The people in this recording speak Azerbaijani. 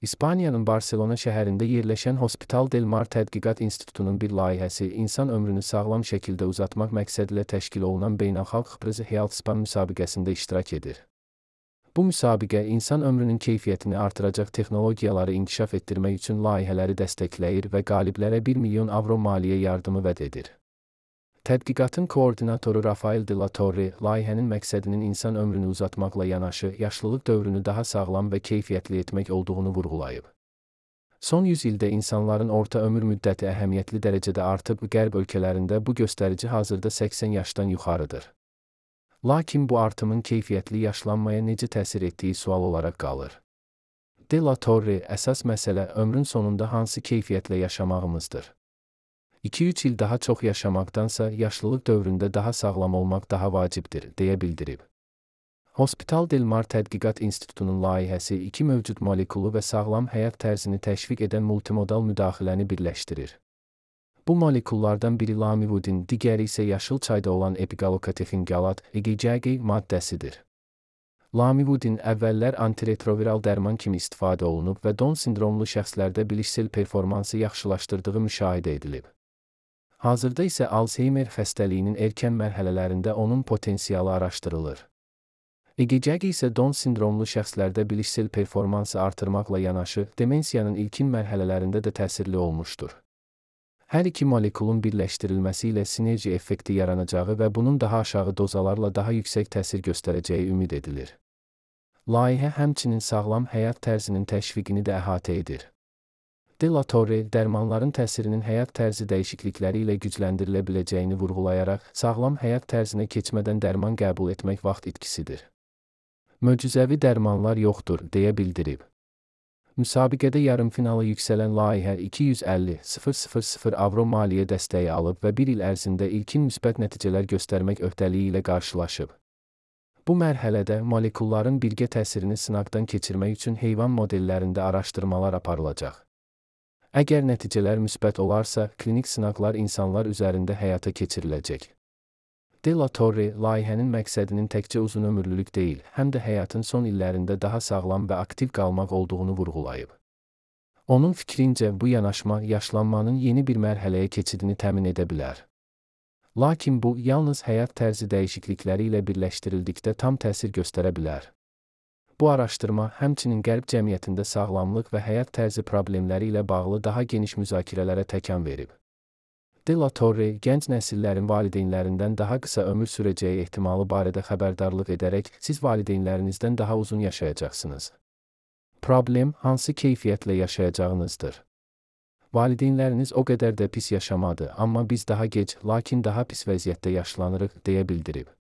İspaniyanın Barselona şəhərində yerləşən Hospital del Mar Tədqiqat İnstitutunun bir layihəsi insan ömrünü sağlam şəkildə uzatmaq məqsədilə təşkil olunan beynəlxalq Prezi Health Span müsabiqəsində iştirak edir. Bu müsabiqə insan ömrünün keyfiyyətini artıracaq texnologiyaları inkişaf etdirmək üçün layihələri dəstəkləyir və qaliblərə 1 milyon avro maliyyə yardımı vəd edir. Tədqiqatın koordinatoru Rafael de la Torre, layihənin məqsədinin insan ömrünü uzatmaqla yanaşı, yaşlılıq dövrünü daha sağlam və keyfiyyətli etmək olduğunu vurğulayıb. Son 100 ildə insanların orta ömür müddəti əhəmiyyətli dərəcədə artıb, Qərb ölkələrində bu göstərici hazırda 80 yaşdan yuxarıdır. Lakin bu artımın keyfiyyətli yaşlanmaya necə təsir etdiyi sual olaraq qalır. De la Torre, əsas məsələ ömrün sonunda hansı keyfiyyətlə yaşamağımızdır. 2-3 il daha çox yaşamaqdansa, yaşlılıq dövründə daha sağlam olmaq daha vacibdir, deyə bildirib. Hospital del Mar Tədqiqat İnstitutunun layihəsi iki mövcud molekulu və sağlam həyat tərzini təşviq edən multimodal müdaxiləni birləşdirir. Bu molekullardan biri lamivudin, digəri isə yaşıl çayda olan epigallokatexin qalat, EGCG maddəsidir. Lamivudin əvvəllər antiretroviral dərman kimi istifadə olunub və Down sindromlu şəxslərdə bilişsel performansı yaxşılaşdırdığı müşahidə edilib. Hazırda isə Alzheimer xəstəliyinin erkən mərhələlərində onun potensialı araşdırılır. EGCG isə Down sindromlu şəxslərdə bilişsel performansı artırmaqla yanaşı, demensiyanın ilkin mərhələlərində də təsirli olmuşdur. Hər iki molekulun birləşdirilməsi ilə sinerji effekti yaranacağı və bunun daha aşağı dozalarla daha yüksək təsir göstərəcəyi ümid edilir. Layihə həmçinin sağlam həyat tərzinin təşviqini də əhatə edir. De la Torre, dərmanların təsirinin həyat tərzi dəyişiklikləri ilə gücləndirilə biləcəyini vurğulayaraq, sağlam həyat tərzinə keçmədən dərman qəbul etmək vaxt itkisidir. Möcüzəvi dərmanlar yoxdur, deyə bildirib. Müsabiqədə yarımfinala yüksələn layihə 250.000 avro maliyyə dəstəyi alıb və bir il ərzində ilkin müsbət nəticələr göstərmək öhdəliyi ilə qarşılaşıb. Bu mərhələdə molekulların birgə təsirini sınaqdan keçirmək üçün heyvan modellərində araşdırmalar aparılacaq. Əgər nəticələr müsbət olarsa, klinik sınaqlar insanlar üzərində həyata keçiriləcək. De la Torre, layihənin məqsədinin təkcə uzunömürlülük deyil, həm də həyatın son illərində daha sağlam və aktiv qalmaq olduğunu vurğulayıb. Onun fikrincə, bu yanaşma yaşlanmanın yeni bir mərhələyə keçidini təmin edə bilər. Lakin bu, yalnız həyat tərzi dəyişiklikləri ilə birləşdirildikdə tam təsir göstərə bilər. Bu araşdırma həmçinin Qərb cəmiyyətində sağlamlıq və həyat tərzi problemləri ilə bağlı daha geniş müzakirələrə təkan verib. De la Torre, gənc nəsillərin valideynlərindən daha qısa ömür sürəcəyi ehtimalı barədə xəbərdarlıq edərək, siz valideynlərinizdən daha uzun yaşayacaqsınız. Problem, hansı keyfiyyətlə yaşayacağınızdır. Valideynləriniz o qədər də pis yaşamadı, amma biz daha gec, lakin daha pis vəziyyətdə yaşlanırıq, deyə bildirib.